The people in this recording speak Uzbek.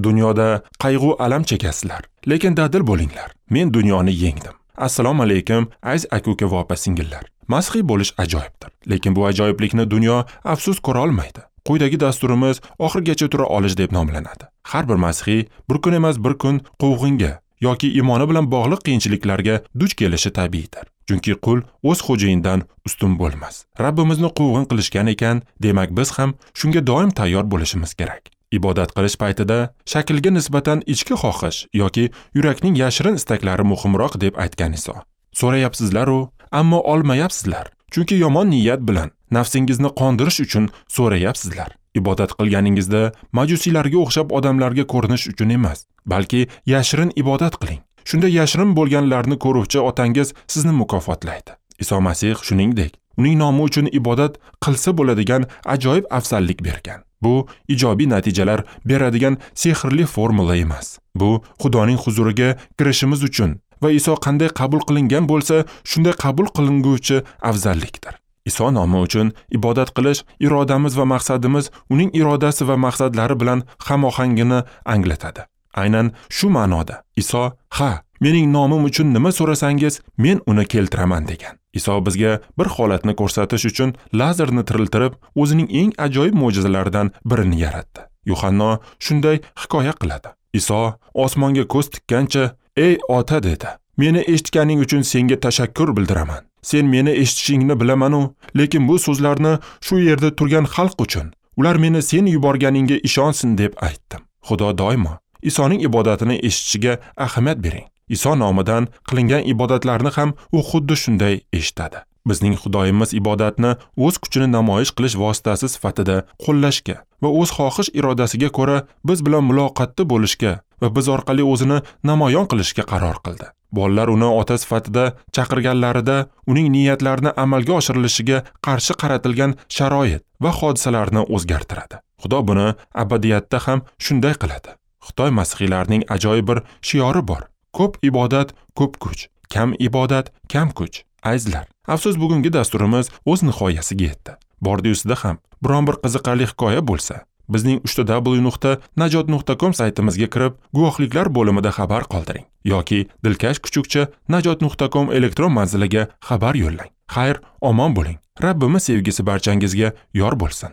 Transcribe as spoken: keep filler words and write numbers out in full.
Dunyoda qayg'u alam chekasizlar, lekin dadil bo'linglar. Men dunyoni yengdim. Assalomu alaykum, aziz aka-uka va opa-singillar. Masihiy bo'lish ajoyibdir, lekin bu ajoyiblikni dunyo afsus ko'ra olmaydi. Quyidagi dasturimiz oxirigacha tura olish deb nomlanadi. Har bir masihiy bir kun emas bir kun quvg'inga yoki iymoni bilan bog'liq qiyinchiliklarga duch kelishi tabiiydir. Chunki qul o'z xo'jayinidan ustun bo'lmas. Rabbimizni quvg'in qilishgan ekan, demak biz ham shunga doim tayyor bo'lishimiz kerak. Ibodat qilish paytida shaklga nisbatan ichki xohish yoki yurakning yashirin istaklari muhimroq deb aytgan Iso. So'rayapsizlar-u, ammo olmayapsizlar. Chunki yomon niyat bilan nafsingizni qondirish uchun so'rayapsizlar. Ibodat qilganingizda majusiylarga o'xshab odamlarga ko'rinish uchun emas, balki yashirin ibodat qiling. Shunda yashirin bo'lganlarni ko'ruvchi otangiz sizni mukofotlaydi. Iso Masih shuningdek, uning nomi uchun ibodat qilsa bo'ladigan ajoyib afzallik bergan. Bu ijobiy natijalar beradigan sehrli formula emas. Bu Xudoning huzuriga kirishimiz uchun va Iso qanday qabul qilingan bo'lsa, shunday qabul qilinguvchi afzallikdir. Iso nomi uchun ibodat qilish irodamiz va maqsadimiz uning irodasi va maqsadlari bilan hamohangini anglatadi. Aynan shu ma'noda Iso, "Ha, mening nomim uchun nima so'rasangiz, men uni keltiraman" degan. Iso bizga bir holatni ko'rsatish uchun Lazarni tiriltirib, o'zining eng ajoyib mo'jizalaridan birini yaratdi. Yuhanno shunday hikoya qiladi. Iso osmonga ko'z tikkancha, "Ey ota" dedi. "Meni eshitganing uchun senga tashakkur bildiraman. Sen meni eshitishingni bilaman-u, lekin bu so'zlarni shu yerda turgan xalq uchun, ular meni sen yuborganingga ishonsin deb aytdim." Xudo doimo Isoning ibodatini eshitishiga ahamiyat bering. Iso nomidan qilingan ibodatlarni ham u xuddi shunday eshitadi. Bizning Xudoyimiz ibodatni o'z kuchini namoyish qilish vositasi sifatida qo'llashga va o'z xohish irodasiga ko'ra biz bilan muloqotda bo'lishga va biz orqali o'zini namoyon qilishga qaror qildi. Bolalar uni ota sifatida chaqirganlarida uning niyatlarini amalga oshirilishiga qarshi qaratilgan sharoit va hodisalarni o'zgartiradi. Xudo buni abadiyatda ham shunday qiladi. Xitoy masihiylarining ajoyib bir shiori bor. Ko'p ibodat, ko'p kuch. Kam ibodat, kam kuch. Azizlar, afsus bugungi dasturimiz o'z nihoyasiga yetdi. Bordi-ustida ham biron bir qiziqarli hikoya bo'lsa, bizning uch ta dabl yu nuqta najot nuqta com saytimizga kirib, guvohliklar bo'limida xabar qoldiring yoki dilkash kuchukcha najot nuqta com elektron manziliga xabar yo'llang. Xayr, omon bo'ling. Rabbimiz sevgisi barchangizga yor bo'lsin.